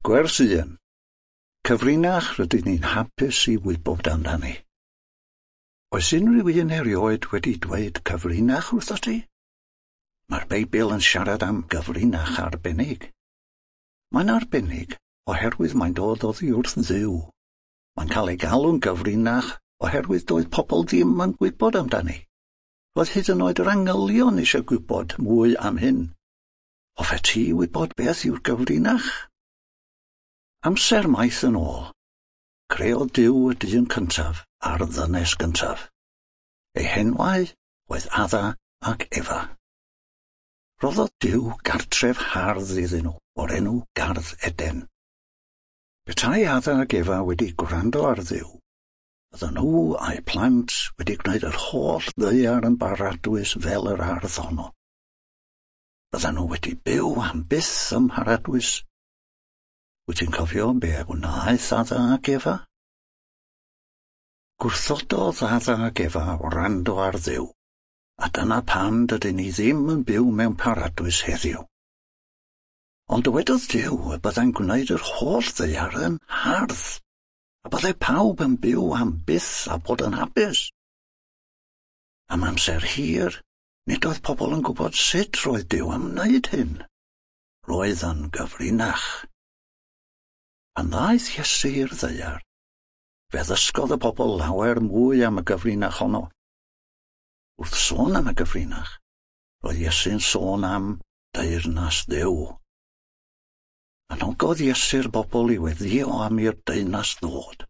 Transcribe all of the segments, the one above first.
Gwers 1. Cyfrinach rydyn ni'n hapus i wybod amdani. Oes unrhyw un erioed wedi dweud cyfrinach wrthot ti? Mae'r Beibl yn siarad am gyfrinach arbennig. Mae'n arbennig oherwydd mae'n dod oddi wrth Dduw. Mae'n cael ei galw'n gyfrinach oherwydd doedd pobl ddim yn gwybod amdani. Roedd hyd yn oed yr angylion eisiau gwybod mwy am hyn. Hoffet ti wybod beth yw'r gyfrinach? Amser maith yn ôl, creodd Duw y dyn cyntaf a'r ddynes gyntaf. Eu henwau oedd Adda ac Efa. Roddodd Duw gartref hardd iddyn nhw o'r enw Gardd Eden. Petai Adda ac Efa wedi gwrando ar Dduw, bydden nhw a'u plant wedi gwneud yr holl ddaear yn baradwys fel yr ardd honno. Bydden nhw wedi byw am byth ym mharadwys. Wyt ti'n cofio be wnaeth Adda ac Efa? Gwrthododd Adda ac Efa wrando ar Dduw, a dyna pam dydyn ni ddim yn byw mewn paradwys heddiw. Ond dywedodd Duw y byddai'n gwneud yr holl ddaear yn hardd, a byddai pawb yn byw am byth a bod yn hapus. Am amser hir, nid oedd pobl yn gwybod sut roedd Duw am wneud hyn. Roedd yn gyfrinach. Pan ddaeth Iesu i'r ddaear, fe ddysgodd y bobl lawer mwy am y gyfrinach honno. Wrth sôn am y gyfrinach, roedd Iesu'n sôn am deyrnas Dduw. Anogodd Iesu'r bobl i weddïo am i'r deyrnas ddod.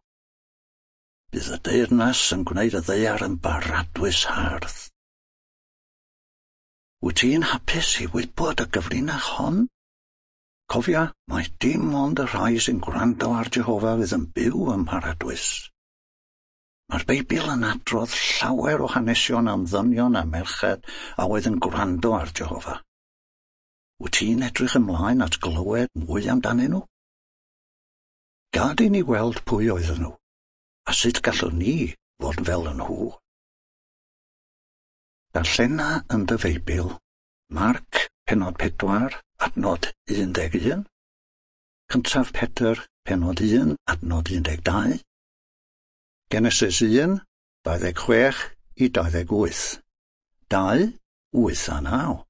Bydd y deyrnas yn gwneud y ddaear yn baradwys hardd. Wyt ti'n hapus i wybod y gyfrinach hon? Cofia, mai dim ond y rhai sy'n gwrando ar Jehofa fydd yn byw ym mharadwys. Mae'r Beibl yn adrodd llawer o hanesion am ddynion a merched a oedd yn gwrando ar Jehofa. Wyt ti'n edrych ymlaen at glywed mwy amdanyn nhw? Gad i ni weld pwy oedden nhw, a sut gallwn ni fod fel yn nhw. Darllena yn dy Feibl, Marc, pennod 4, adnod 11, cyntaf Pedr, pennod 1, adnod 12, Genesis 1, 26 i 28, 2, 8 a 9,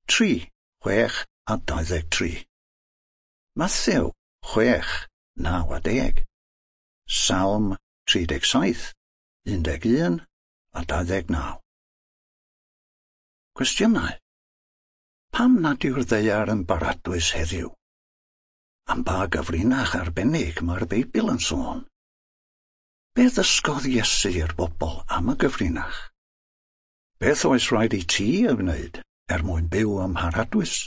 3, 6 a 23, Mathew 6, 9 a 10, Salm 37, 11 a 29. Cwestiynau. Pam nad yw'r ddaear yn baradwys heddiw? Am ba gyfrinach arbennig mae'r Beibl yn sôn? Beth ddysgodd Iesu i'r bobl am y gyfrinach? Beth oes rhaid i ti ei wneud er mwyn byw ym mharadwys?